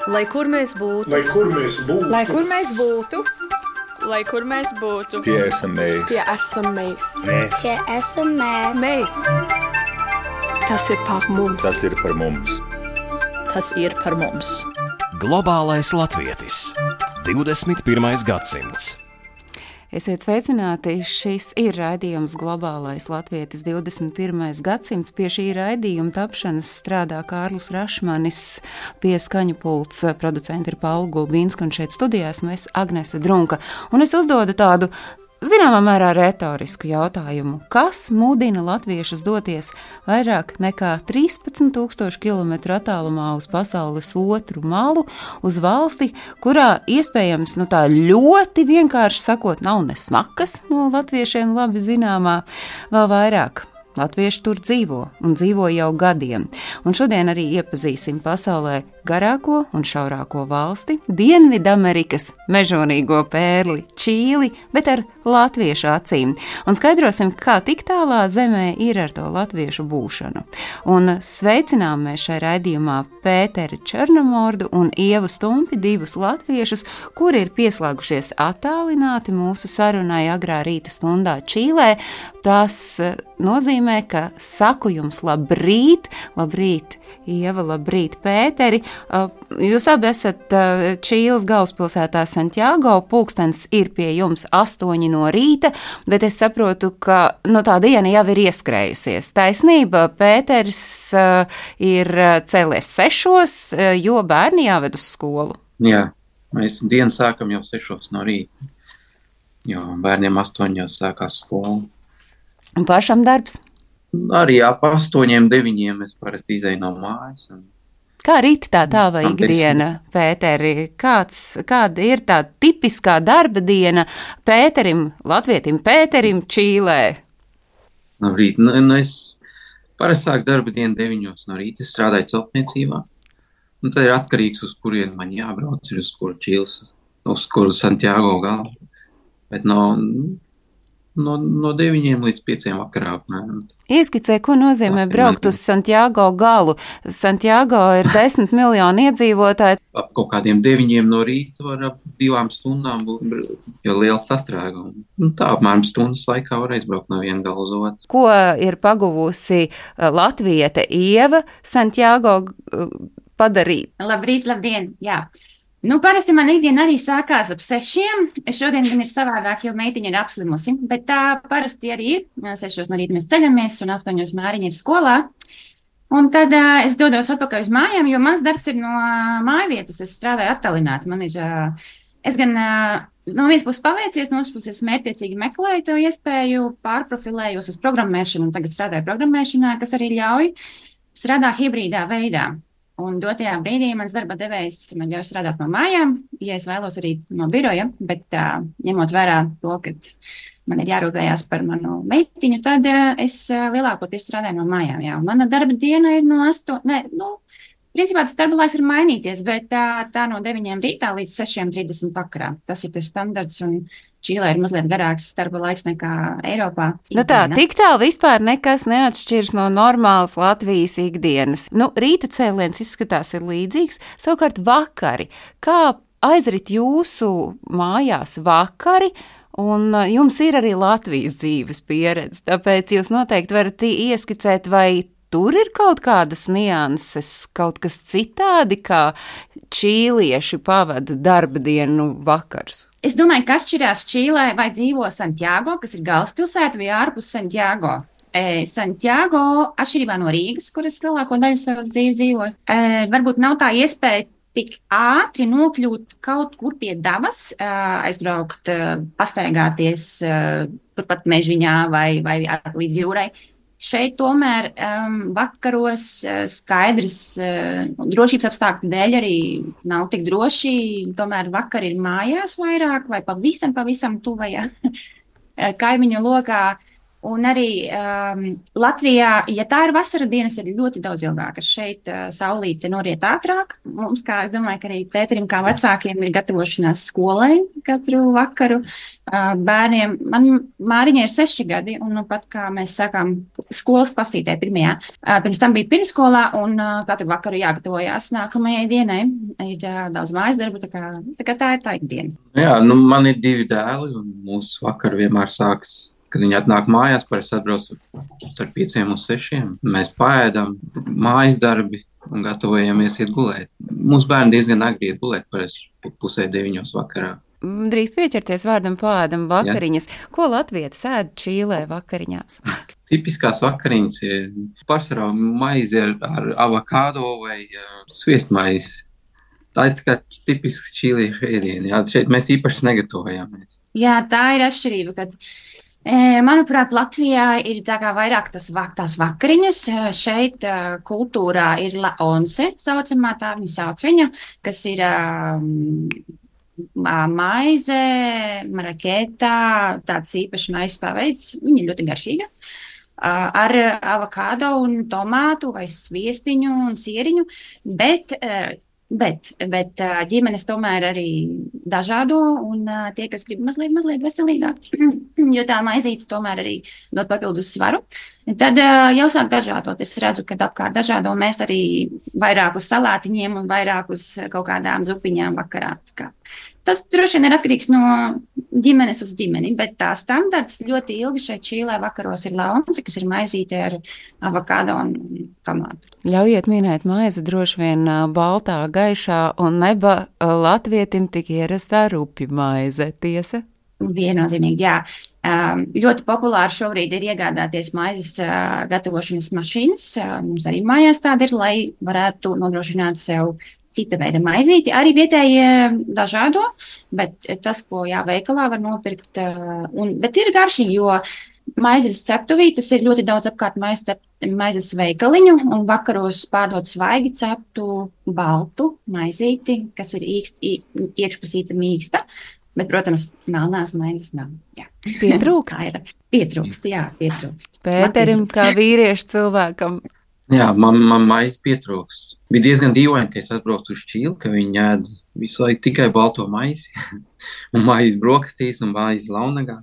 Lai kur mēs būtu, Lai kur mēs būtu, Lai kur mēs būtu, Lai kur mēs būtu, Tie esam mēs. tie esam mēs. Tie esam mēs. Mēs. Tas ir par mums. Tas ir par mums. tas ir par mums. Globālais latvietis. 21. gadsimts. Esiet sveicināti, šis ir raidījums Globālais latvietis 21. gadsimts. Pie šī raidījuma tapšanas strādā Kārlis Rašmanis, pie skaņu pults producenti ir Paula Gulbīnska un šeit studijā esmu es, Agnese Drunka. Un es uzdodu tādu zināmā mērā retorisku jautājumu. Kas mudina latviešus doties vairāk nekā 13,000 kilometru attālumā uz pasaules otru malu, uz valsti, kurā iespējams, tā ļoti vienkārši sakot, nav ne smakas no latviešiem labi zināmā, vēl vairāk. Latvieši tur dzīvo un dzīvo jau gadiem. Un šodien arī iepazīsim pasaulē garāko un šaurāko valsti, Dienvidamerikas mežonīgo pērli, Čīli, bet ar latviešu acīm. Un skaidrosim, kā tik tālā zemē ir ar to latviešu būšanu. Un sveicinām mēs šai raidījumā Pēteri Černomordu un Ievu Stumpi, divus latviešus, kuri ir pieslēgušies attālināti mūsu sarunai agrā rīta stundā Čīlē. Tas nozīmē, ka saku jums labrīt, labrīt, Ieva, labrīt, Pēteri. Jūs abi esat Čīles galvaspilsētā Santiago, pulkstens ir pie jums 8 no rīta, bet es saprotu, ka tā diena jau ir ieskrējusies. Taisnība, Pēteris ir cēlies 6, jo bērni jāved uz skolu. Jā, mēs dienu sākam jau 6 no rīta, jo bērniem 8 jau sākās skola. Un pašam darbs? Arī ap 8, 9 es parasti izēju no mājas. Kā rīt tā tava ikdiena, Pēteri? Kāda ir tā tipiskā darba diena Pēterim, latvietim Pēterim Čīlē? No rīta, es parasti sāku darba dienu 9 no rīta, es strādāju celtniecībā. Un tad ir atkarīgs, uz kurien man jābrauc, ir uz kuru Čīles, uz kuru Santiago galu. Bet no 9 līdz 5 vakarā. Ieskicē, ko nozīmē braukt uz Santiago galu. Santiago ir 10 miljoni iedzīvotāji. Ap kaut kādiem 9 no rīta var ap 2 stundām būt, jo liels sastrēgums. Tā apmēram stundas laikā var aizbraukt no viena gala uz otru. Ko ir paguvusi latviete Ieva Santiago padarīt? Labrīt, labdien, jā. Parasti man ikdiena arī sākās ap 6. Šodien gan ir savādāk, jo meitiņa ir apslimusi, bet tā parasti arī ir. 6 no rīta mēs ceļamies un 8 Māriņa ir skolā. Un tad es dodos atpakaļ uz mājām, jo mans darbs ir no mājvietas. Es strādāju attālināti. Man ir, es gan no vienas puses paveicies, no otras puses mērķtiecīgi meklēju to iespēju, pārprofilējos uz programmēšanu un tagad strādāju programmēšanā, kas arī ļauj strādāt hibrīdā veidā. Un dotajā brīdī mans darba devējs man ļauj strādāt no mājām, ja es vēlos arī no biroja, bet ņemot vērā to, ka man ir jārūpējās par manu meitiņu, tad es lielākoties strādāju no mājām. Jā. Mana darba diena ir no 8, principā tas darba laiks var mainīties, bet tā no 9 rītā līdz 6:30 vakarā. Tas ir tas standarts un Čīlē ir mazliet garāks darba laiks nekā Eiropā. Tik tālu vispār nekas neatšķirs no normālas Latvijas ikdienas. Rīta cēliens izskatās ir līdzīgs, savukārt vakari. Kā aizrit jūsu mājās vakari? Un jums ir arī Latvijas dzīves pieredze, tāpēc jūs noteikti varat ieskicēt, vai tur ir kaut kādas nianses, kaut kas citādi, kā čīlieši pavada darba dienu vakars. Es domāju, ka atšķirās Čīlē vai dzīvo Santiago, kas ir galvaspilsēta, vai ārpus Santiago. Santiago, atšķirībā no Rīgas, kuras lielāko daļu savas dzīves dzīvoju, varbūt nav tā iespēja tik ātri nokļūt kaut kur pie dabas, aizbraukt, pastaigāties turpat mežviņā vai līdz jūrai. Šeit tomēr vakaros skaidrs drošības apstākļu dēļ arī nav tik droši, tomēr vakar ir mājās vairāk vai pavisam tuvajā kaimiņu lokā. Un arī Latvijā, ja tā ir vasara, dienas ir ļoti daudz ilgākas. Šeit saulīte noriet ātrāk. Mums, kā es domāju, ka arī Pēterim kā vecākiem ir gatavošanās skolai katru vakaru. Bērniem, man Māriņai ir 6 gadi, un nu pat kā mēs sākām skolas klasītē pirmajā, pirms tam bija pirmskolā, un katru vakaru jāgatavojās nākamajai dienai. Ir daudz mājas darbu, tā kā tā ir tā ikdiena. Jā, nu man ir 2 dēli, un mūsu vakar vienmēr sāks. Kad viņi atnāk mājās, parasti atbrauc ar 5 un 6. Mēs paēdam mājas darbi un gatavojamies iet gulēt. Mūsu bērni diezgan agri iet gulēt, parasti 8:30 vakarā. Drīkst pieķerties vārdam paēdam vakariņas. Jā. Ko latvietis ēd Čīlē vakariņās? Tipiskās vakariņas ir pārsvarā maize ar avokādo vai sviestmaizi. Tā ir kā tipisks čīliešu ēdieni. Jā, šeit mēs īpaši negatavojāmies. Jā, tā ir atšķirība, kad manuprāt, Latvijā ir tā kā vairāk tās vakariņas. Šeit kultūrā ir laonse, saucamā tā viņa sauc viņa, kas ir maize, marakētā, tāds īpašs maizes paveids. Viņa ir ļoti garšīga. Ar avokādo un tomātu vai sviestiņu un sieriņu, bet ģimenes tomēr arī dažādo, un tie, kas grib mazliet veselīgāk, jo tā maizīte tomēr arī dod papildus svaru, tad jau sāk dažādot. Es redzu, ka apkārt dažādo mēs arī vairāk uz salātiņiem un vairāk uz kaut kādām zupiņām vakarā. Tas droši vien ir atkarīgs no ģimenes uz ģimeni, bet tā standarts ļoti ilgi šeit Čīlē vakaros ir launce, kas ir maizīte ar avokādo un tomātu. Ļaujiet minēt maizi droši vien baltā, gaišā un neba latvietim tik ierastā rupju maize, tiesa? Viennozīmīgi, jā. Ļoti populāri šobrīd ir iegādāties maizes gatavošanas mašīnas. Mums arī mājās tāda ir, lai varētu nodrošināt sev cita veida maizīti. Arī vietējie dažādo, bet tas, ko veikalā var nopirkt, bet ir garšīgi, jo maizes ceptuvītes ir ļoti daudz apkārt maizes veikaliņu, un vakaros pārdod svaigi ceptu baltu maizīti, kas ir iekšpusīta mīksta, bet, protams, melnās maizes nav. Jā. Pietrūkst? Pietrūkst. Pēterim, kā vīriešu cilvēkam. Jā, man maize pietrūkst. Bija diezgan dīvaini, ka es atbraucu uz Čīli, ka viņi ēd visu laiku tikai balto maizi, un maizi brokastīs un maizi launagā.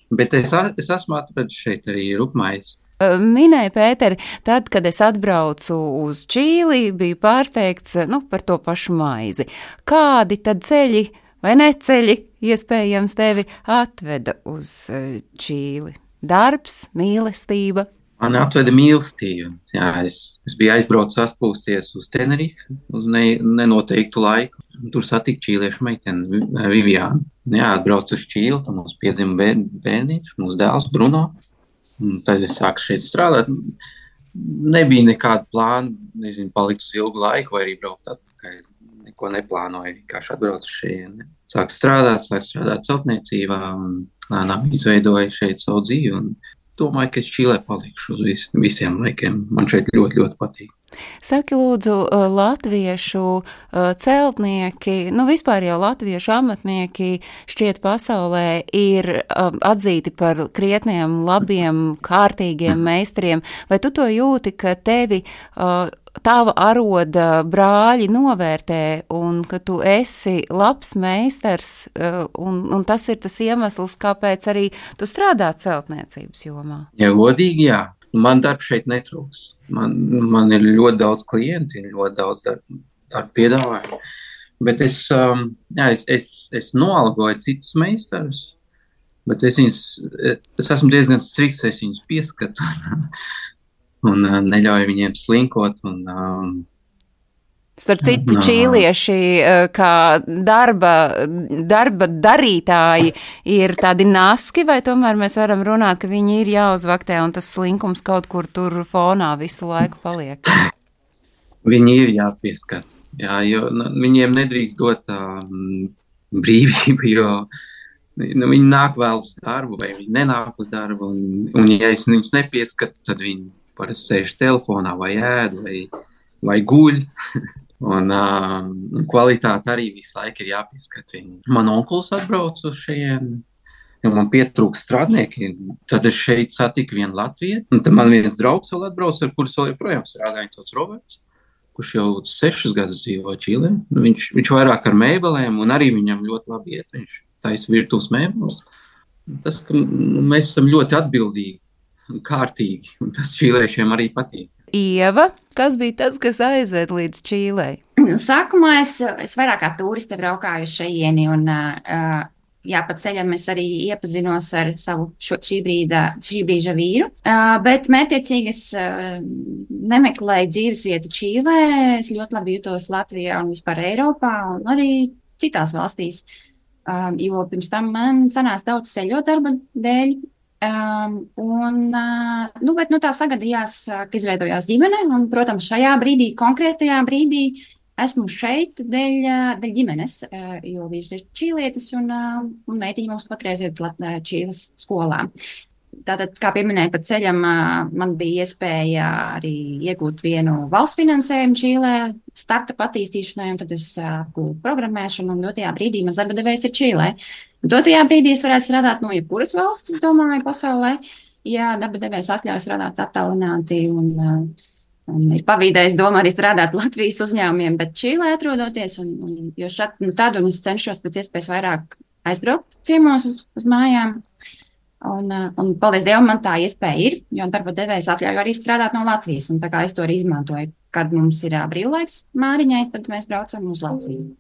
Bet es esmu atradis šeit arī rupmaizi. Minēja Pēteri, tad, kad es atbraucu uz Čīli, biju pārsteigts par to pašu maizi. Kādi tad ceļi vai neceļi iespējams tevi atveda uz Čīli? Darbs, mīlestība? Man atveda mīlestība. Jā, es biju aizbraucis atpūsties uz Tenerifi uz nenoteiktu laiku. Tur satiku čīliešu meiteni Viviānu. Jā, atbraucu uz Čīli, tad mums piedzima bērniņš, mūsu dēls Bruno. Un tad es sāku šeit strādāt. Nebija nekāda plāna, palikt uz ilgu laiku vai arī braukt atpakaļ. Neko neplānoju, vienkārši atbraucu šeit. Sāku strādāt celtniecībā un lēnām izveidoju šeit savu dzīvi. Un domāju, ka es Čīlē palikšu uz visiem laikiem. Man šeit ļoti, ļoti patīk. Saki, lūdzu, latviešu celtnieki, vispār jau latviešu amatnieki šķiet pasaulē ir atzīti par krietniem, labiem, kārtīgiem meistariem. Vai tu to jūti, ka tevi tava aroda brāļi novērtē un ka tu esi labs meistars un tas ir tas iemesls, kāpēc arī tu strādā celtniecības jomā? Ja godīgi, jā. Man darbs šeit netrūks. Man ir ļoti daudz klienti, ļoti daudz darba piedāvājumu. Bet es noalgoju citus meistarus, bet es esmu diezgan strikts, es viņus pieskatu un neļauju viņiem slinkot. Starp citu, čīlieši kā darba darītāji ir tādi naski, vai tomēr mēs varam runāt, ka viņi ir jāuzvaktē un tas slinkums kaut kur tur fonā visu laiku paliek? Viņi ir jāpieskat, jo viņiem nedrīkst dot brīvību, jo viņi nāk vēl uz darbu vai viņi nenāk uz darbu, un ja es viņus nepieskatu, tad viņi parasti sēž telefonā vai ēd vai guļ. Un kvalitāte arī visu laiku ir jāpieskat. Man onkulis atbrauc uz šejien ja man pietrūkst strādnieki, tad es šeit satiku vienu Latviju, un tad man viens draugs vēl atbrauc, ar kurus vēl joprojām strādāja, viņš sauc Roberts, kurš jau 6 gadus dzīvo Čīlē. Viņš vairāk ar mēbelēm, un arī viņam ļoti labi iet, viņš taisa virtuves mēbeles. Tas, ka mēs esam ļoti atbildīgi un kārtīgi, un tas čīliešiem arī patīk. Ieva, kas bija tas, kas aizved līdz Čīlei? Sākumā es vairāk kā turiste braukāju uz šejieni, un pa ceļam es arī iepazinos ar savu šī brīža vīru, bet mērķiecīgi es nemeklēju dzīvesvietu Čīlē, es ļoti labi jutos Latvijā un vispār Eiropā, un arī citās valstīs, jo pirms tam man sanāca daudz ceļot darba dēļ, bet tā sagadījās, ka izveidojās ģimene, un, protams, šajā brīdī, konkrētajā brīdī, esmu šeit dēļ ģimenes, jo vīrs ir čīlietis, un meitiņa mums patreiz ir Čīles skolā. Tātad, kā pieminēju, pa ceļam man bija iespēja arī iegūt vienu valsts finansējumu Čīlē, startup attīstīšanai, un tad es apgūstu programmēšanu, un dotajā brīdī mans darba devējs ir Čīlē. Dotajā brīdī es varētu strādāt no jebkuras valsts, es domāju, pasaulē, ja darba devējs atļauj strādāt attālināti, un ir pavīdējis doma arī strādāt Latvijas uzņēmumiem, bet Čīlē atrodoties, jo tad es cenšos pēc iespējas vairāk aizbraukt ciemos uz mājām. Un paldies Dievam, man tā iespēja ir, jo darba devējs atļauj arī strādāt no Latvijas, un tā kā es to arī izmantoju. Kad mums ir brīvlaiks Māriņai, tad mēs braucam uz Latviju.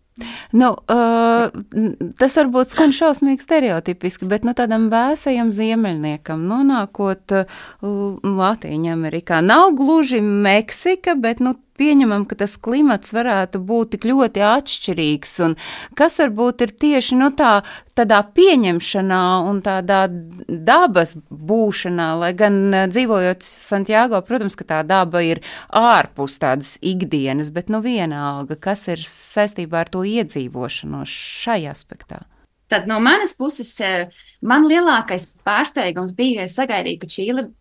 Tas varbūt skan šausmīgi stereotipiski, bet tādam vēsajam ziemeļniekam nonākot Latīņa Amerikā nav gluži Meksika, bet pieņemam, ka tas klimats varētu būt tik ļoti atšķirīgs, un kas varbūt ir tieši tādā pieņemšanā un tādā dabas būšanā, lai gan dzīvojot Santiago, protams, ka tā daba ir ārpus tādas ikdienas, bet vienalga, kas ir saistībā ar to iedzīvošanos šajā aspektā? Tad no manas puses, man lielākais pārsteigums bija, es sagaidīju, ka Čīle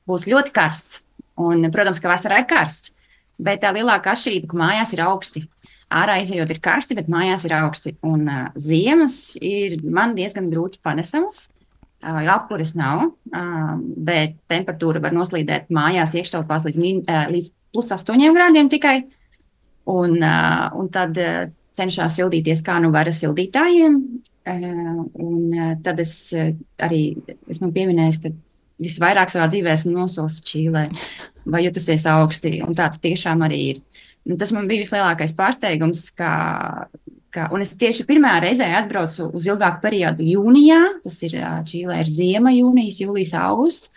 būs ļoti karsts, un, protams, ka vasarā ir karsts. Bet tā lielākā atšķirība, ka mājās ir augsti. Ārā izejot ir karsti, bet mājās ir augsti. Un ziemas ir man diezgan grūti panesamas, jo apkures nav, bet temperatūra var noslīdēt mājās iekštelpās līdz +8 grādiem tikai. Un tad cenšās sildīties, kā var ar sildītājiem. Un tad es man pieminēju, ka visvairāk savā dzīvē esmu nosolis Čīlē, vai jutusies augsti, un tā tiešām arī ir. Un tas man bija vislielākais pārsteigums, un es tieši pirmā reizē atbraucu uz ilgāku periodu jūnijā, tas ir Čīlē ir ziema, jūnijas, jūlijas, augusts,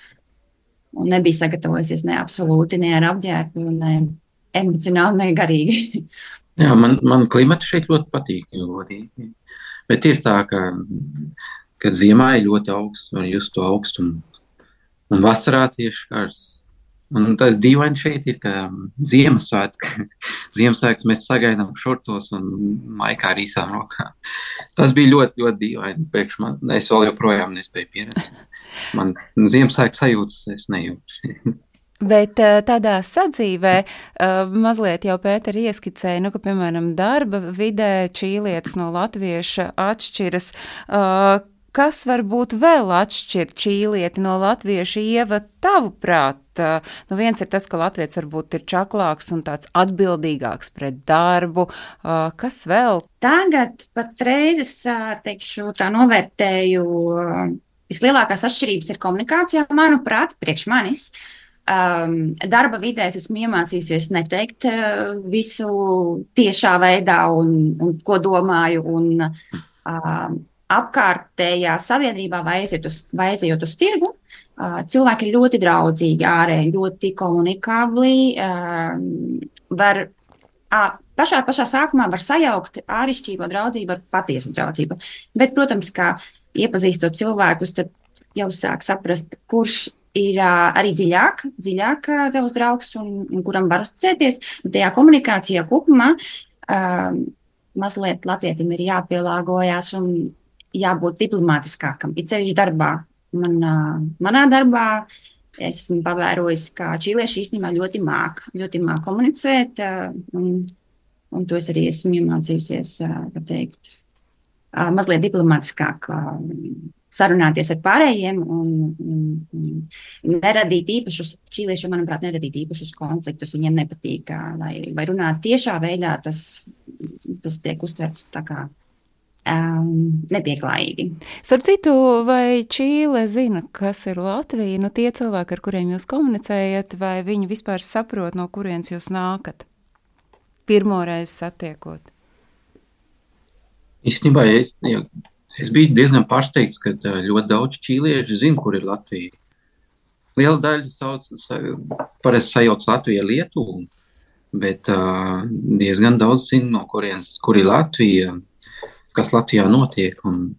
un nebija sagatavojusies ne absolūti, ne ar apģērbu, ne emocionāli, ne garīgi. Jā, man klimata šeit ļoti patīk, godīgi. Bet ir tā, ka ziemā ir ļoti augsts, var just to augstumu. Un vasarā tieši karsts. Un tas dīvaini šeit ir, ka Ziemassvētkus mēs sagaidām šortos un maikā ar īsām rokām. Tas bija ļoti, ļoti dīvaini priekš man. Es vēl joprojām nespēju pierast. Man Ziemassvētku sajūtas es nejūtu. Bet tādā sadzīvē mazliet jau Pēteri ieskicēja, ka, piemēram, darba vidē čīlietis no latvieša atšķiras. Kas varbūt vēl atšķir čīlieti no latvieša, Ieva, tavuprāt? Viens ir tas, ka latvietis varbūt ir čaklāks un tāds atbildīgāks pret darbu. Kas vēl? Tagad patreiz es teikšu, tā novērtēju, vislielākās atšķirības ir komunikācijā, manuprāt, priekš manis. Darba vidēs esmu iemācījusies neteikt visu tiešā veidā un ko domāju, un apkārtējā sabiedrībā vai aiziet uz tirgu, cilvēki ir ļoti draudzīgi, ārēji, ļoti komunikabli, pašā sākumā var sajaukt āršķirīgo draudzību ar patiesu draudzību. Bet, protams, kā iepazīstot cilvēkus, tad jau sāk saprast, kurš ir arī dziļāk tavs draugs un kuram var uzticēties. Un tajā komunikācijā kopumā mazliet latvietim ir jāpielāgojas un jābūt diplomātiskākam. Ir ceļš darbā. Manā darbā es esmu pavērojis, ka čīlieši īstenībā ļoti māk komunicēt, un to es arī esmu iemācījusies, mazliet diplomātiskāk sarunāties ar pārējiem un neradīt īpašus, čīliešiem, manuprāt, neradīt īpašus konfliktus. Viņiem nepatīk, vai runāt tiešā veidā, tas tiek uztverts tā kā nepieklājīgi. Starp citu, vai Čīle zina, kas ir Latvija? Nu, tie cilvēki, ar kuriem jūs komunicējat, vai viņi vispār saprot, no kurienes jūs nākat? Pirmoreiz satiekot. Īstenībā es biju diezgan pārsteigts, ka ļoti daudz čīlieši zina, kur ir Latvija. Liela daļa parasti sajauc Latviju ar Lietuvu, bet diezgan daudz zina, no kurienes, kur ir Latvija, kas Latvijā notiek. Un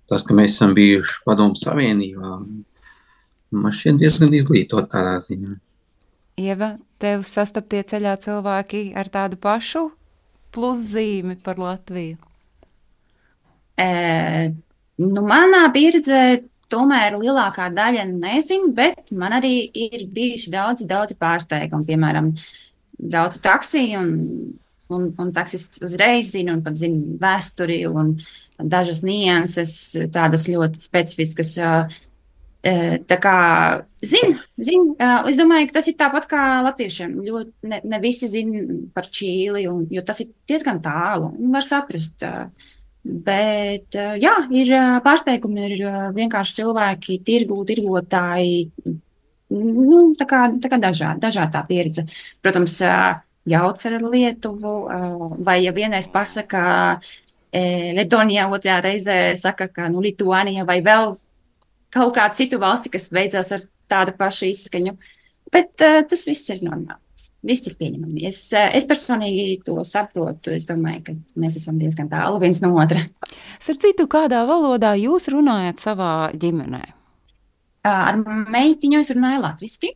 tas, ka mēs esam bijuši Padomu Savienībā, man šķiet diezgan izglītot tādā ziņā. Ieva, tev sastaptie ceļā cilvēki ar tādu pašu pluszīmi par Latviju? Manā pieredzē tomēr lielākā daļa nezin, bet man arī ir bijuši daudzi pārsteigumi. Piemēram, braucu taksī un taksists uzreiz zina un pat zina vēsturi un dažas nianses, tādas ļoti specifiskas. Tā kā zina. Es domāju, ka tas ir tāpat kā latviešiem. Ne visi zina par Čīli, jo tas ir diezgan tālu un var saprast. Bet, jā, ir pārsteigumi, ir vienkārši cilvēki, tirgotāji, tā kā dažādi tā pieredze. Protams, jauc ar Lietuvu, vai ja vienreiz pasaka Letonijā, otrā reizē saka, ka Lituānija vai vēl kaut kādu citu valsti, kas beidzās ar tādu pašu izskaņu. Bet tas viss ir normāls. Viss ir pieņemami. Es personīgi to saprotu. Es domāju, ka mēs esam diezgan tālu viens no otra. Starp citu, kādā valodā jūs runājat savā ģimenē? Ar meitiņu es runāju latviski,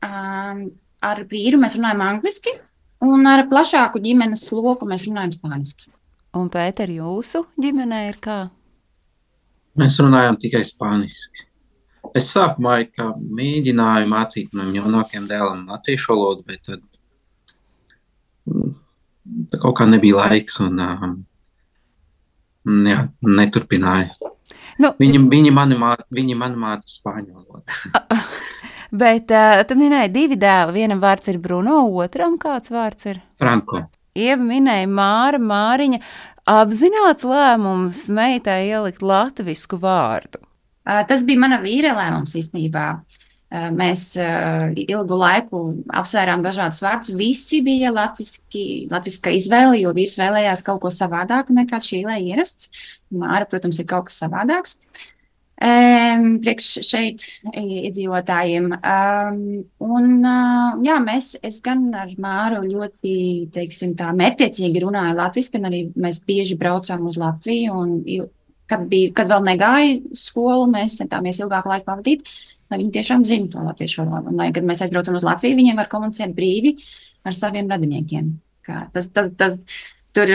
ar vīru mēs runājam angliski, un ar plašāku ģimenes loku mēs runājam spāniski. Un, Pēter, jūsu ģimenē ir kā? Mēs runājam tikai spāniski. Es sākumā mēģināju mācīt manam jaunākajam dēlam latviešu valodu, bet tad kaut kā nebija laiks un neturpināju. Nu, viņi mani māca spāņu valodu. Bet tu minēji 2 dēli. Vienam vārds ir Bruno, otram kāds vārds ir? Franko. Ieva minēja Māriņa. Apzināts lēmums meitai ielikt latvisku vārdu? Tas bija mana vīra lēmums īstenībā. Mēs ilgu laiku apsvērām dažādus vārdus. Visi bija latviska izvēle, jo vīrs vēlējās kaut ko savādāku nekā Čīlē ierasts. Māra, protams, ir kaut kas savādāks. Priekš šeit iedzīvotājiem. Es gan ar Māru ļoti, teiksim, tā mērķtiecīgi runāju latviski, un arī mēs bieži braucām uz Latviju, un kad vēl negāja skolu, mēs centāmies ilgāku laiku pavadīt, lai viņi tiešām zina to latviešu valodu. Un lai, kad mēs aizbraucam uz Latviju, viņiem var komunicēt brīvi ar saviem radiniekiem. Tur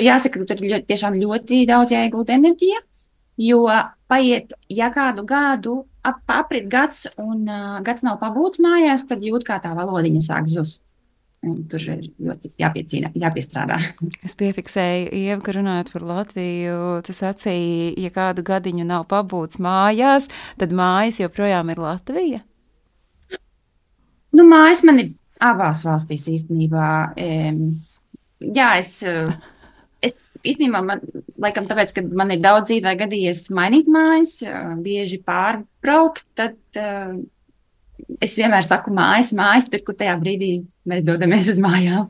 jāsaka, ka tur tiešām ļoti daudz jāiegūt enerģija, jo paiet, ja kādu gadu aprit gads un gads nav pabūts mājās, tad jūt, kā tā valodiņa sāk zust. Un tur ir ļoti jāpiestrādā. Es piefiksēju, Ieva, ka runājot par Latviju, tu sacīji, ja kādu gadiņu nav pabūts mājās, tad mājas joprojām ir Latvija? Mājas man ir abās valstīs īstenībā. Jā, es īstenībā, laikam tāpēc, ka man ir daudz dzīvē gadījies mainīt mājas, bieži pārbraukt, tad es vienmēr saku mājas, tur, kur tajā brīdī mēs dodamies uz mājām.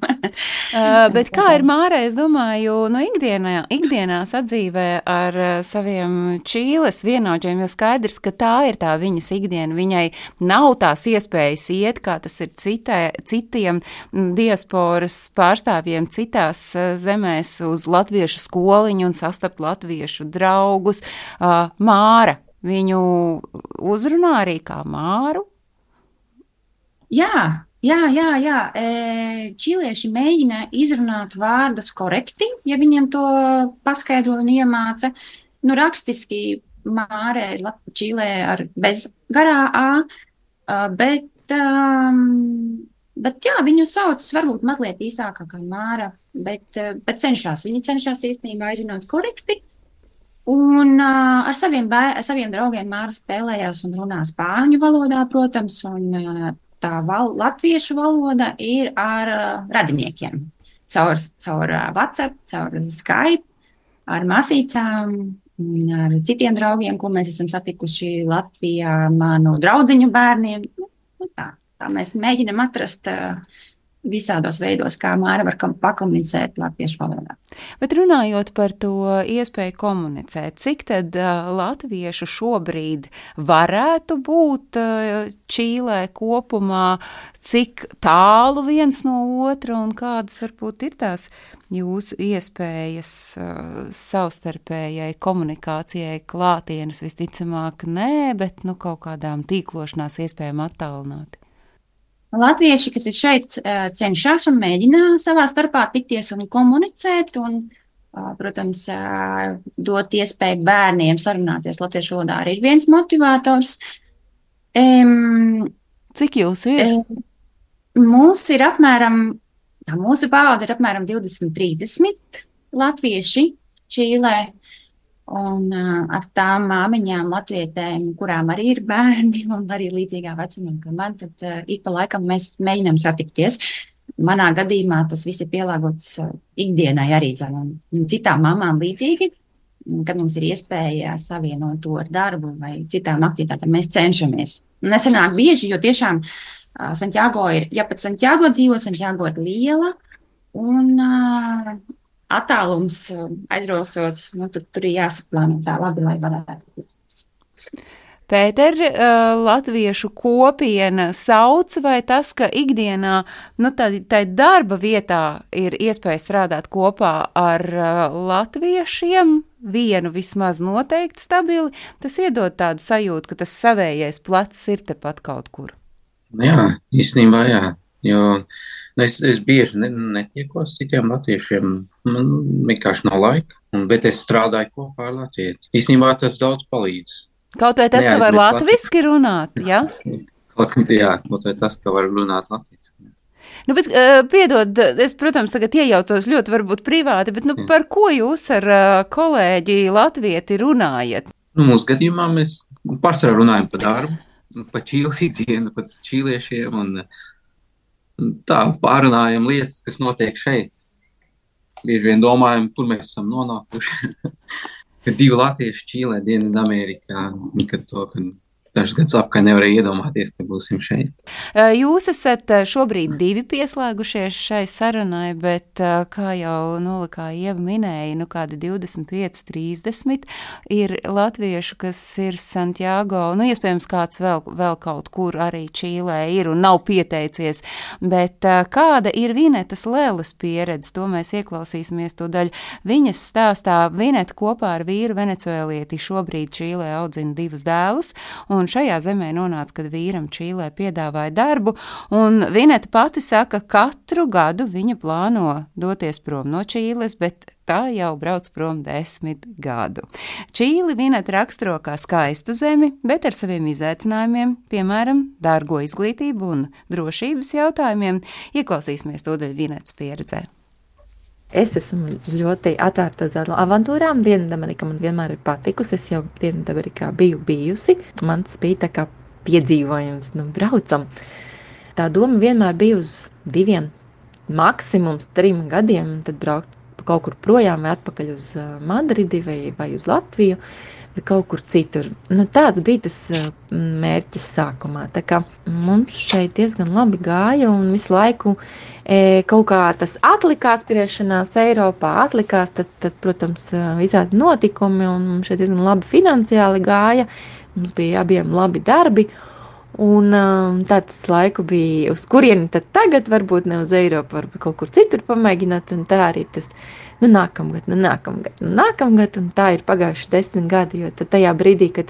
Bet kā ir Mārai, es domāju, ikdienā sadzīvē ar saviem Čīles vienaudžiem, jo skaidrs, ka tā ir tā viņas ikdiena. Viņai nav tās iespējas iet, kā tas ir citiem diasporas pārstāvjiem citās zemēs uz latviešu skoliņu un sastapt latviešu draugus. Māra, viņu uzrunā arī kā Māru? Jā. Čīlieši mēģina izrunāt vārdus korekti, ja viņiem to paskaidro un iemāca. Rakstiski Māre ir Čīlē ar bez garā A, bet jā, viņu sauc varbūt mazliet īsākā kā Māra, bet cenšas. Viņi cenšas īstenībā izrunāt korekti, Un ar saviem draugiem Māra spēlējās un runā spāņu valodā, protams, un tā latviešu valoda ir ar radiniekiem. Caur WhatsApp, caur Skype, ar masīcām un ar citiem draugiem, ko mēs esam satikuši Latvijā, manu draudziņu bērniem. Tā mēs mēģinam atrast visādos veidos, kā Māra var pakomunicēt latviešu valodā. Bet runājot par to iespēju komunicēt, cik tad latviešu šobrīd varētu būt Čīlē kopumā, cik tālu viens no otra un kādas varbūt ir tās jūsu iespējas savstarpējai komunikācijai klātienes? Visticamāk nē, bet kaut kādām tīklošanās iespējām attālināti. Latvieši, kas ir šeit, cenšas un mēģina savā starpā tikties un komunicēt un, protams, dot iespēju bērniem sarunāties latviešu valodā arī ir viens motivators. Cik jūsu ir? Mūsu paudze ir apmēram 20-30 latvieši Čīlē. Un ar tām māmiņām, latvietēm, kurām arī ir bērni un arī līdzīgā vecumā, kā man, tad ik pa laikam mēs mēģinām satikties. Manā gadījumā tas viss ir pielāgots ikdienai arī un citām mamām līdzīgi, kad mums ir iespēja savienot to ar darbu vai citām aktivitātēm, mēs cenšamies. Nesanāk bieži, jo tiešām Santiago ir, ja pat Santiago dzīvo, Santiago ir liela un attālums aizbraucot, tur ir jāsaplāno tā labi, lai varētu būt. Pēter, latviešu kopiena sauc, vai tas, ka ikdienā, tai darba vietā ir iespēja strādāt kopā ar latviešiem, vienu vismaz noteikti stabili, tas iedod tādu sajūtu, ka tas savējais plecs ir tepat kaut kur. Jā, īstenībā jā, jo es bieži netiekos citiem latviešiem, man vienkārši nav laika, bet es strādāju kopā ar latvieti. Īstenībā tas daudz palīdz. Kaut vai tas, ka var latviski runāt, jā? Kaut vai tas, ka var runāt latviski. Bet, piedod, es, protams, tagad iejaucos ļoti varbūt privāti, bet par ko jūs ar kolēģi latvieti runājat? Mūsu gadījumā mēs pārsvarā runājam par darbu, par Čīles ikdienu, par čīliešiem un tā pārunājam lietas, kas notiek šeit. Bieži vien domājam, kur mēs esam nonākuši. Kad 2 latvieši Čīlē, Dienvidamerikā, kad dažs gads apkārt nevarēja iedomāties, ka būsim šeit. Jūs esat šobrīd 2 pieslēgušies šai sarunai, bet, kā jau Nolikā Ieva minēja, kādi 25-30 ir latviešu, kas ir Santiago, iespējams kāds vēl kaut kur arī Čīlē ir un nav pieteicies, bet kāda ir Vinetas Leles pieredze, to mēs ieklausīsimies tūdaļ viņas stāstā. Vineta kopā ar vīru venecuēlieti šobrīd Čīlē audzina 2 dēlus, un šajā zemē nonāca, kad vīram Čīlē piedāvāja darbu, un Vineta pati saka, katru gadu viņa plāno doties prom no Čīles, bet tā jau brauc prom 10 gadu. Čīli Vineta raksturo kā skaistu zemi, bet ar saviem izaicinājumiem, piemēram, dārgo izglītību un drošības jautājumiem, ieklausīsimies tūdaļ Vinetas pieredzē. Es esmu ļoti atvērta uz avantūrām. Dienvidamerika man vienmēr ir patikusi. Es jau Dienvidamerikā biju bijusi. Man tas bija tā kā piedzīvojums, braucam. Tā doma vienmēr bija uz 2, maksimums 3 gadiem, tad braukt kaut kur projām vai atpakaļ uz Madridi vai uz Latviju vai kaut kur citur. Tāds bija tas mērķis sākumā. Tā kā mums šeit diezgan labi gāja un visu laiku kaut kā tas atlikās skriešanās Eiropā, tad protams, visādi notikumi un mums šeit diezgan labi finansiāli gāja. Mums bija abiem labi darbi un tāds laiku bija, uz kurieni tad tagad, varbūt ne uz Eiropu, varbūt kaut kur citur pamēģināt, un tā arī tas nākamgad, un tā ir pagājuši 10 gadi, jo tad tajā brīdī, kad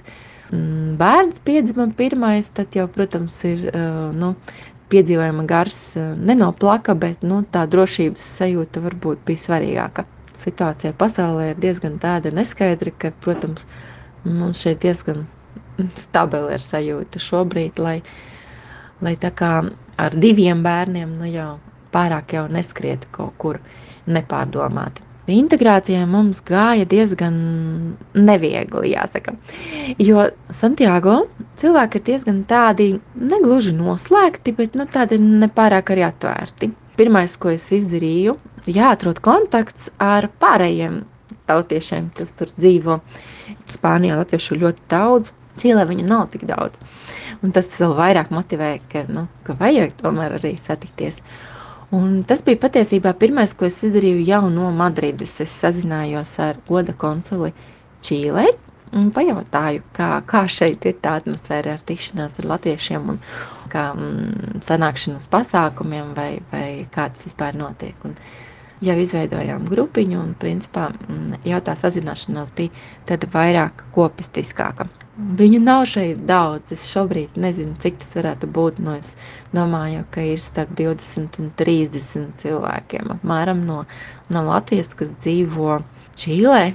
bērns piedzima pirmais, tad jau, protams, ir, piedzīvojuma gars nenoplaka, bet, tā drošības sajūta varbūt bija svarīgāka. Situācija pasaulē ir diezgan tāda neskaidra, ka, protams, mums šeit diezgan stabili ir sajūta šobrīd, lai tā kā ar 2 bērniem, jau pārāk jau neskrietu kaut kur nepārdomāti. integrācijai mums gāja diezgan neviegli, jāsaka. Jo Santiago cilvēki ir diezgan tādi negluži noslēgti, bet tādi nepārāk arī atvērti. Pirmais, ko es izdarīju, jāatrod kontakts ar pārējiem tautiešiem, kas tur dzīvo. Spānijā latviešu ļoti daudz, Čīlē viņu nav tik daudz. Un tas vēl vairāk motivē, ka vajag tomēr arī satikties. Un tas bija patiesībā pirmais, ko es izdarīju jau no Madrides. Es sazinājos ar goda konsuli Čīlē un pajautāju, kā šeit ir tā atmosfēra ar tikšanās ar latviešiem un kā sanākšanas pasākumiem vai kā tas vispār notiek. Un jau izveidojām grupiņu un principā jau tā sazināšanās bija tāda vairāk kopistiskāka. Viņu nav šeit daudz, es šobrīd nezinu, cik tas varētu būt, es domāju, ka ir starp 20 un 30 cilvēkiem apmēram no Latvijas, kas dzīvo Čīlē.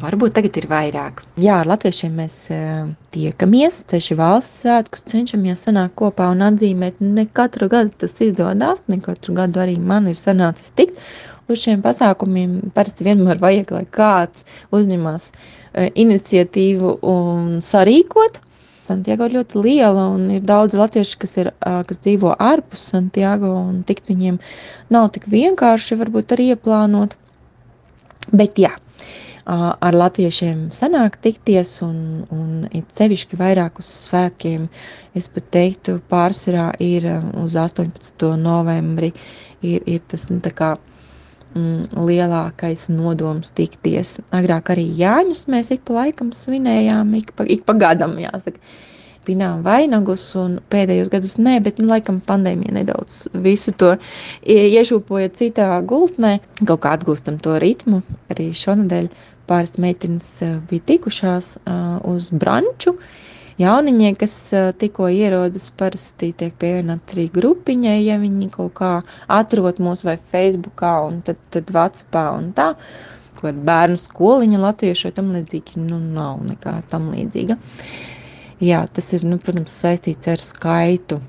Varbūt tagad ir vairāk. Jā, ar latviešiem mēs tiekamies, ceļš valsts svētkus cenšamies sanākt kopā un atzīmēt. Ne katru gadu tas izdodas, ne katru gadu arī man ir sanācis tikt uz šiem pasākumiem. Parasti vienmēr vajag, lai kāds uzņemās iniciatīvu un sarīkot. Santiago ir ļoti liela un ir daudz latvieši, kas dzīvo ārpus Santiago un tikt viņiem nav tik vienkārši varbūt arī ieplānot. Bet jā, ar latviešiem sanāk tikties un ir sevišķi vairāk uz svētkiem. Es pat teiktu, pārsvarā ir uz 18. novembri ir tas tā kā lielākais nodoms tikties. Agrāk arī Jāņus mēs ik pa laikam svinējām, ik pa gadam, jāsaka. Pinām vainagus un pēdējos gadus nē, bet laikam pandēmija nedaudz visu to iešūpoja citā gultnē. Kaut kā atgūstam to ritmu. Arī šonadēļ pāris meitenes bija tikušās uz branču. Jauniņie, kas tikko ierodas, parasti tiek pievienot arī grupiņai, ja viņi kaut kā atrod mūs vai Facebookā un tad WhatsAppā un tā, ko ar bērnu skoliņa latviešu vai tam līdzīgi, nav nekā tam līdzīga. Jā, tas ir, protams, saistīts ar skaitu,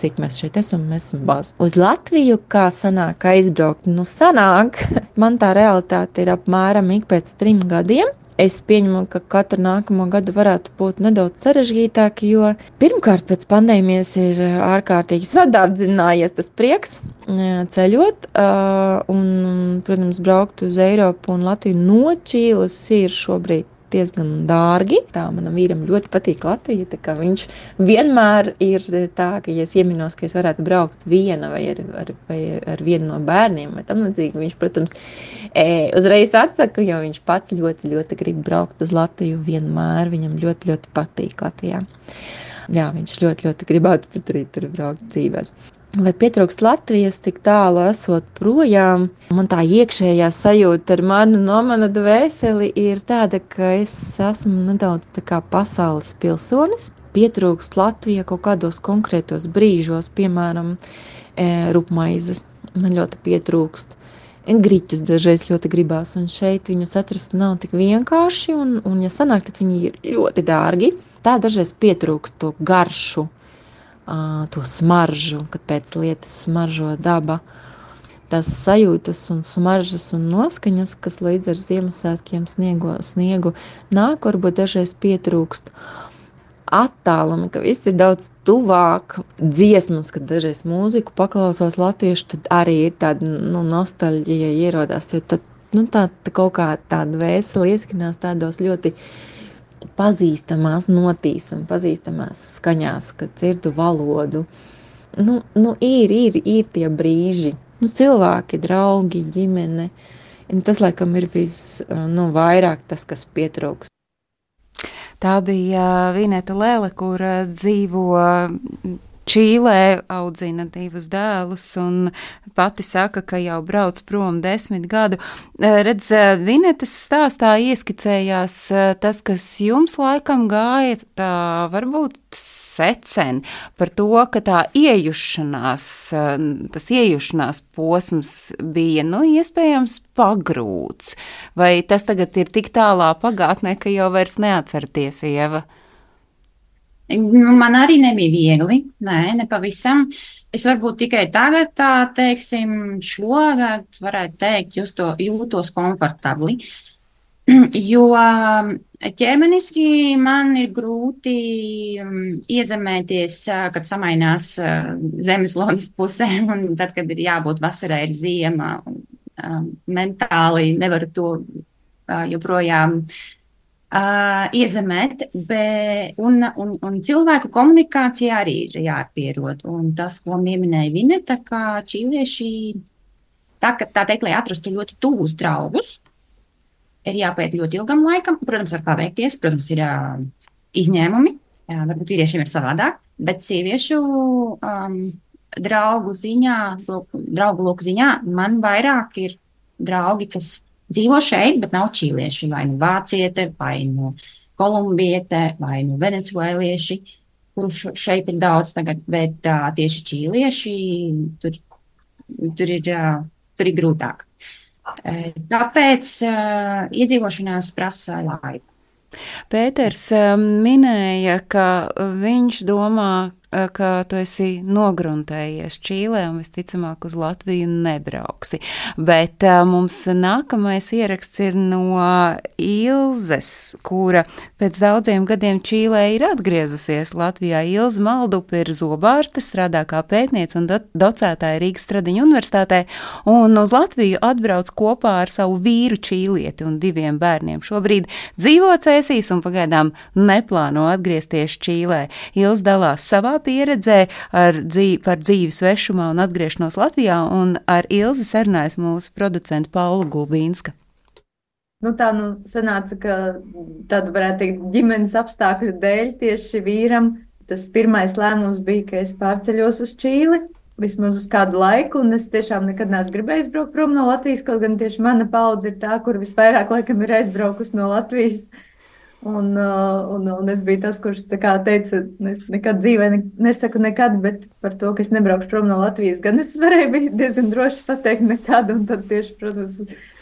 cik mēs šeit esam, mēs esam baz. Uz Latviju, kā sanāk aizbraukt? Sanāk, man tā realitāte ir apmēram ik pēc 3 gadiem. Es pieņemu, ka katru nākamo gadu varētu būt nedaudz sarežģītāk, jo pirmkārt pēc pandēmijas ir ārkārtīgi sadārdzinājies tas prieks ceļot un, protams, braukt uz Eiropu un Latviju no Čīles ir šobrīd diezgan dārgi. Tā manam vīram ļoti patīk Latvija, tā kā viņš vienmēr ir tā, ka ja es ieminos, ka es varētu braukt viena vai ar vienu no bērniem vai tam līdzīgi, viņš, protams, uzreiz atsaka, jo viņš pats ļoti, ļoti grib braukt uz Latviju vienmēr, viņam ļoti, ļoti patīk Latvijā. Jā, viņš ļoti, ļoti gribētu pat arī tur braukt dzīvēt. Vai pietrūkst Latvijas tik tālu esot projām? Man tā iekšējā sajūta ar mana dvēseli ir tāda, ka es esmu nedaudz tā kā pasaules pilsonis. Pietrūkst Latvija kaut kādos konkrētos brīžos, piemēram, rupmaizes. Man ļoti pietrūkst. Griķus dažreiz ļoti gribās, un šeit viņus atrast nav tik vienkārši, un ja sanāk, tad viņi ir ļoti dārgi. Tā dažreiz pietrūkst to garšu. To smaržu, kad pēc lietas smaržo daba, tās sajūtas un smaržas un noskaņas, kas līdz ar Ziemassvētkiem sniegu nāk, varbūt dažreiz pietrūkst attālumi, ka viss ir daudz tuvāk, dziesmas, kad dažreiz mūziku paklausos latviešu, tad arī ir tāda nostalģija ierodās, jo tad tā kaut kā tāda vēseli ieskanās tādos ļoti pazīstamās notīsam, pazīstamās skaņās, kad dzirdu valodu. Ir tie brīži. Cilvēki, draugi, ģimene. Un tas, laikam, ir vairāk tas, kas pietrūkst. Tā bija Vineta Lele, kur dzīvo Čīlē, audzina 2 dēlus un pati saka, ka jau brauc prom 10 gadu. Redz, Vinetas stāstā ieskicējās tas, kas jums laikam gāja tā varbūt secen par to, ka tā tas iejušanās posms bija, iespējams pagrūts. Vai tas tagad ir tik tālā pagātnē, ka jau vairs neatcerties, Ieva? Man arī nebija viegli, ne pavisam. Es varbūt tikai tagad, tā teiksim, šogad varētu teikt, jūtos komfortabli. Jo ķermeniski man ir grūti iezemēties, kad samainās zemeslodes pusē, un tad, kad ir jābūt vasarai, ir ziema. Mentāli nevaru to joprojām iezemēt, un cilvēku komunikācija arī ir jāpierod. Un tas, ko pieminēja Vineta, ka čīlieši, tā teikt, lai atrastu ļoti tuvus draugus, ir jāpēt ļoti ilgam laikam. Protams, var paveikties, protams, ir izņēmumi, varbūt vīriešiem ir savādāk, bet sieviešu draugu loku ziņā man vairāk ir draugi, kas dzīvo šeit, bet nav čīlieši, vai nu vāciete, vai nu kolumbiete, vai nu venecuēlieši, kuru šeit ir daudz tagad, bet tieši čīlieši tur ir grūtāk. Tāpēc iedzīvošanās prasa laiku. Pēters minēja, ka viņš domā, ka tu esi nogruntējies Čīlē un visticamāk uz Latviju nebrauksi. Bet mums nākamais ieraksts ir no Ilzes, kura pēc daudziem gadiem Čīlē ir atgriezusies Latvijā. Ilze Maldupe ir zobārste, strādā kā pētniece un docētāja Rīgas Stradiņu universitātē, un uz Latviju atbrauc kopā ar savu vīru čīlieti un 2 bērniem. Šobrīd dzīvo Cēsīs un pagaidām neplāno atgriezties Čīlē. Ilze dalās savā pieredzē par dzīvi svešumā un atgriešanos Latvijā, un ar Ilzi sarunājas mūsu producenta Paula Gulbīnska. Tā sanāca, ka tad varētu teikt ģimenes apstākļu dēļ tieši vīram. Tas pirmais lēmums bija, ka es pārceļos uz Čīli, vismaz uz kādu laiku, un es tiešām nekad neesmu gribējis braukt prom no Latvijas, kaut gan tieši mana paudze ir tā, kur visvairāk laikam ir aizbraukus no Latvijas. Un es biju tas, kurš teica, es nekad dzīvē nesaku nekad, bet par to, ka es nebraukšu prom no Latvijas, gan es varēju diezgan droši pateikt nekad, un tad tieši, protams,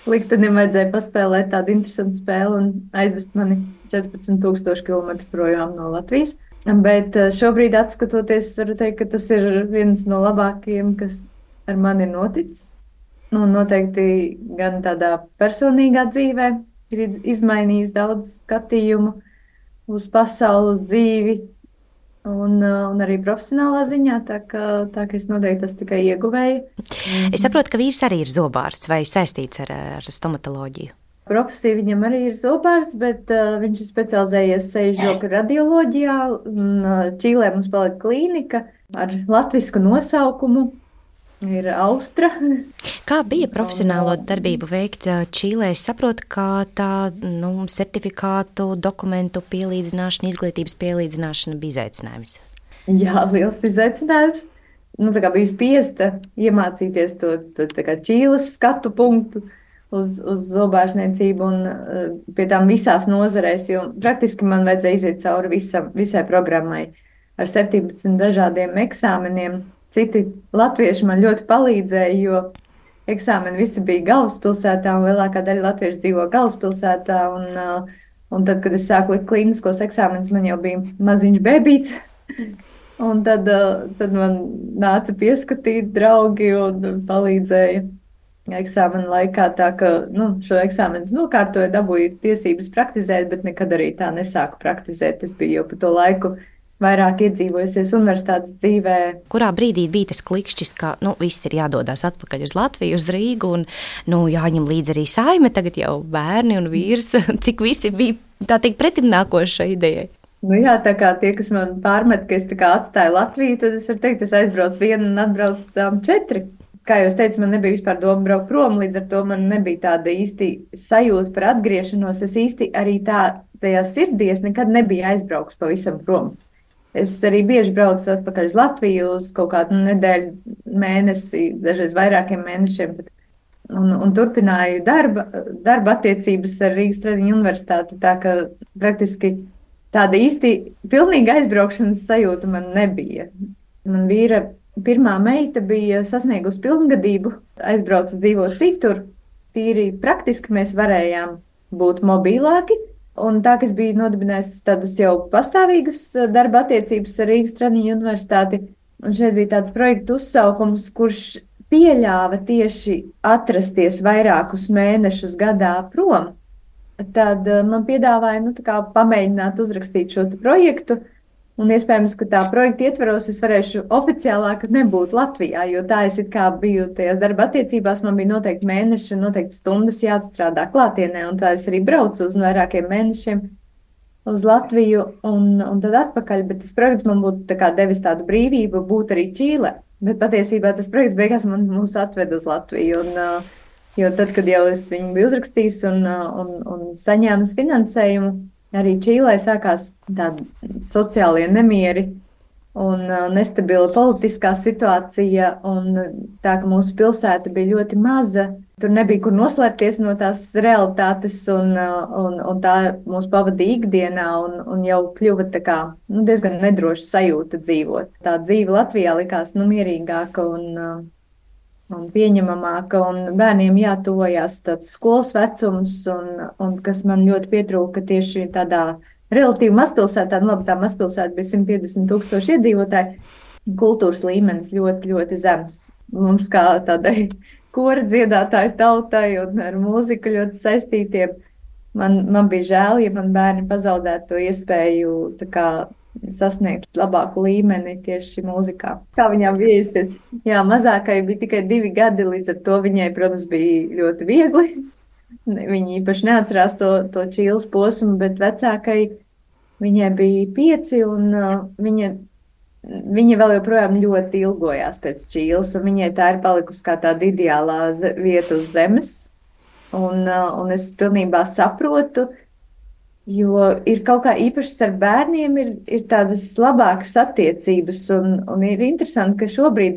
liktenim vajadzēja paspēlēt tādu interesantu spēli un aizvest mani 14,000 kilometru projām no Latvijas. Bet šobrīd, atskatoties, varu teikt, ka tas ir viens no labākajiem, kas ar mani ir noticis. Un noteikti gan tādā personīgā dzīvē, ir izmainījis daudz skatījumu uz pasauli, uz dzīvi un arī profesionālā ziņā, tā ka es noteikti tas tikai ieguvēju. Es saprotu, ka vīrs arī ir zobārsts vai saistīts ar stomatoloģiju. Profesija viņam arī ir zobārsts, bet viņš ir specializējies seju radioloģijā. Čīlē mums palika klīnika ar latvisku nosaukumu. Ir Austra. Kā bija profesionālo darbību veikt Čīlē? Es saprotu, ka tā certifikātu, dokumentu pielīdzināšana, izglītības pielīdzināšana bija izaicinājums. Jā, liels izaicinājums. Biju spiesta iemācīties to Čīles skatu punktu uz zobārstniecību un pie tām visās nozarēs, jo praktiski man vajadzēja iziet cauri visai programmai ar 17 dažādiem eksāmeniem. Citi latvieši man ļoti palīdzēja, jo eksāmeni visi bija galvaspilsētā, un lielākā daļa latviešu dzīvo galvaspilsētā. Un tad, kad es sāku likt klīniskos eksāmenus, man jau bija maziņš bebīts. Un tad man nāca pieskatīt draugi un palīdzēja eksāmenu laikā. Tā ka šo eksāmenu nokārtoju, dabūju tiesības praktizēt, bet nekad arī tā nesāku praktizēt. Es biju jau pa to laiku vairāk iedzīvojusies universitātes dzīvē. Kurā brīdī bija tas klikšķis, ka viss ir jādodas atpakaļ uz Latviju, uz Rīgu, un jāņem līdzi arī saime, tagad jau bērni un vīrs, cik visi bija tā teikt pretimnākoši šai idejai? Jā, tā kā tie, kas man pārmet, ka es atstāju Latviju, tad es varu teikt, es aizbraucu vienu un atbraucu tām 4. Kā jau es teicu, man nebija vispār doma braukt prom, līdz ar to man nebija tāda īsti sajūta par atgriešanos. Es īsti arī tajā sirdī es nekad nebiju aizbraukus pavisam prom. Es arī bieži braucu atpakaļ uz Latviju uz kaut kādu nedēļu, mēnesi, dažreiz vairākiem mēnešiem. Un turpināju darba attiecības ar Rīgas Stradiņu universitāti, tā ka praktiski tāda īsti pilnīga aizbraukšanas sajūta man nebija. Man vīra pirmā meita bija sasniegusi pilngadību, aizbrauca dzīvot citur. Tīri praktiski mēs varējām būt mobilāki. Un tā, ka es biju nodibinājis tādas jau pastāvīgas darba attiecības ar Rīgas Stradiņu universitāti, Un šeit bija tāds projekta uzsaukums, kurš pieļāva tieši atrasties vairākus mēnešus gadā prom. Tad man piedāvāja pamēģināt uzrakstīt šo projektu. Un iespējams, ka tā projekta ietvaros es varēšu oficiālāk nebūt Latvijā, jo tā es it kā biju tajās darba attiecībās, man bija noteikti mēneši un noteikti stundas jāatstrādā klātienē, un tā es arī braucu uz vairākiem mēnešiem uz Latviju un tad atpakaļ, bet tas projekts man būtu devis tādu brīvību būt arī Čīlē, bet patiesībā tas projekts beigās mūs atved uz Latviju, jo tad, kad jau es viņu biju uzrakstījis un saņēmus finansējumu, arī Čīlē sākās tādi sociālie nemieri un nestabila politiskā situācija, un tā, ka mūsu pilsēta bija ļoti maza, tur nebija kur noslēpties no tās realitātes, un tā mūs pavadīja ikdienā, un jau kļuva diezgan nedroša sajūta dzīvot. Tā dzīve Latvijā likās mierīgāka un pieņemamāka, un bērniem jātuvojās tāds skolas vecums, un kas man ļoti pietrūka tieši tādā relatīvi mazpilsētā, tā mazpilsēta bija 150,000 iedzīvotāji, kultūras līmenis ļoti, ļoti zems. Mums kā tādai kora dziedātāju tautai un ar mūziku ļoti saistītiem, man bija žēl, ja man bērni pazaudētu to iespēju sasniegt labāku līmeni tieši mūzikā. Kā viņām bija justies? Jā, mazākai bija tikai 2 gadi, līdz ar to viņai, protams, bija ļoti viegli. Viņa īpaši neatcerās to Čīles posmu, bet vecākai viņai bija 5, un viņa vēl joprojām ļoti ilgojās pēc Čīles, un viņai tā ir palikusi kā tāda ideālā vieta uz zemes. Un es pilnībā saprotu, jo ir kaut kā īpaši starp bērniem ir tādas labākas attiecības, un ir interesanti, ka šobrīd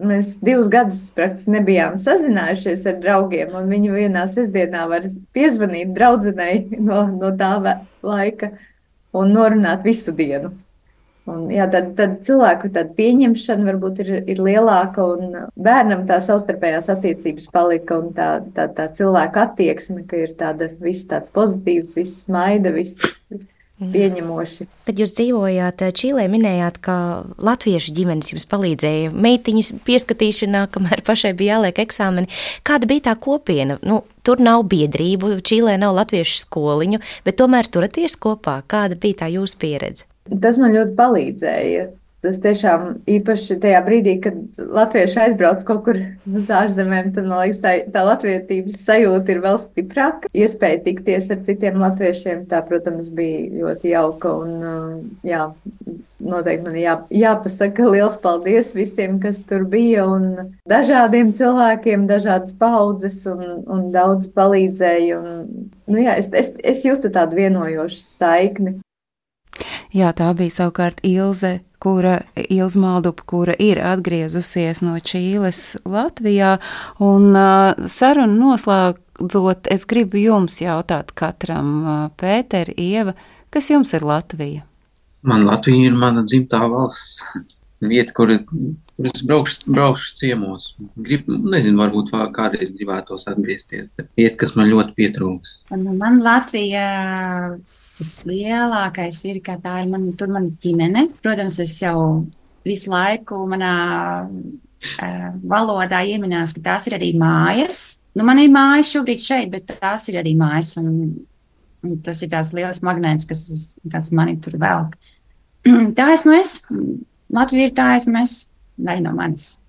mēs 2 gadus praktiski nebijām sazinājušies ar draugiem, un viņi vienā sestdienā var piezvanīt draudzenei no tā laika un norunāt visu dienu. Un, jā, tad cilvēku pieņemšana varbūt ir lielāka, un bērnam tā savstarpējās attiecības palika, un tā cilvēku attieksme, ka ir viss tāds pozitīvs, viss smaida, viss pieņemoši. Kad jūs dzīvojāt Čīlē, minējāt, ka latviešu ģimenes jums palīdzēja meitiņas pieskatīšanā, kamēr pašai bija jāliek eksāmeni. Kāda bija tā kopiena? Tur nav biedrību, Čīlē nav latviešu skoliņu, bet tomēr turaties kopā. Kāda bija tā jūsu pieredze? Tas man ļoti palīdzēja. Tas tiešām īpaši tajā brīdī, kad latvieši aizbrauc kaut kur uz ārzemēm, tad, man liekas, tā latvietības sajūta ir vēl stiprāka. Iespēja tikties ar citiem latviešiem, tā, protams, bija ļoti jauka. Un, jā, noteikti man jāpasaka liels paldies visiem, kas tur bija, un dažādiem cilvēkiem, dažādas paudzes, un daudz palīdzēja. Un, jā, es jūtu tādu vienojošu saikni. Jā, tā bija savukārt Ilze Maldupa, kura ir atgriezusies no Čīles Latvijā, un sarunu noslēdzot, es gribu jums jautāt katram, Pēter, Ieva, kas jums ir Latvija? Man Latvija ir mana dzimtā valsts, vieta, kur es braukšu ciemos. Nezinu, varbūt kādreiz gribētos atgriezties, bet vieta, kas man ļoti pietrūks. Man Latvija... Tas lielākais ir, ka tā ir mana ģimene. Protams, es jau visu laiku manā valodā ieminās, ka tās ir arī mājas. Man ir mājas šobrīd šeit, bet tās ir arī mājas. Un tas ir tās liels magnēts, kas mani tur velk. Tā esmu es. Latvija ir tā esmu es. Daļa no manis.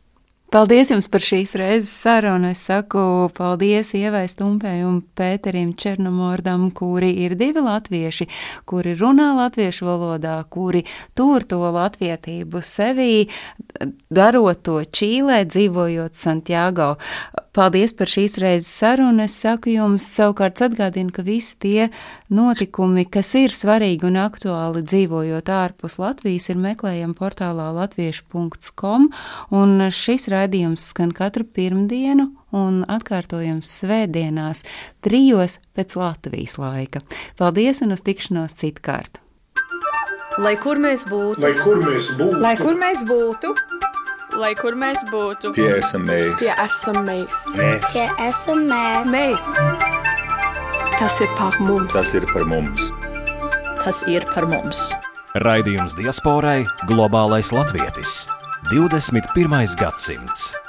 Paldies jums par šīs reizes sarunu. Es saku paldies Ievai Stumpei un Pēterim Černomordam, kuri ir 2 latvieši, kuri runā latviešu valodā, kuri tur to latvietību sevī, darot to Čīlē, dzīvojot Santiago. Paldies par šīs reizes sarunu. Es saku jums savukārt atgādinu, ka visi tie notikumi, kas ir svarīgi un aktuāli dzīvojot ārpus Latvijas, ir meklējami portālā latviešu.com, un šis raidījums skan katru pirmdienu un atkārtojams svētdienās 3 pēc Latvijas laika. Paldies un uz tikšanos citkārt! Lai kur mēs būtu, Lai kur mēs būtu, lai kur mēs būtu, Lai kur mēs būtu, Tie esam mēs. tie esam mēs. Tie esam mēs. mēs. Tas ir par mums. Tas ir par mums. tas ir par mums. Raidījums diasporai Globālais latvietis. 21. gadsimts.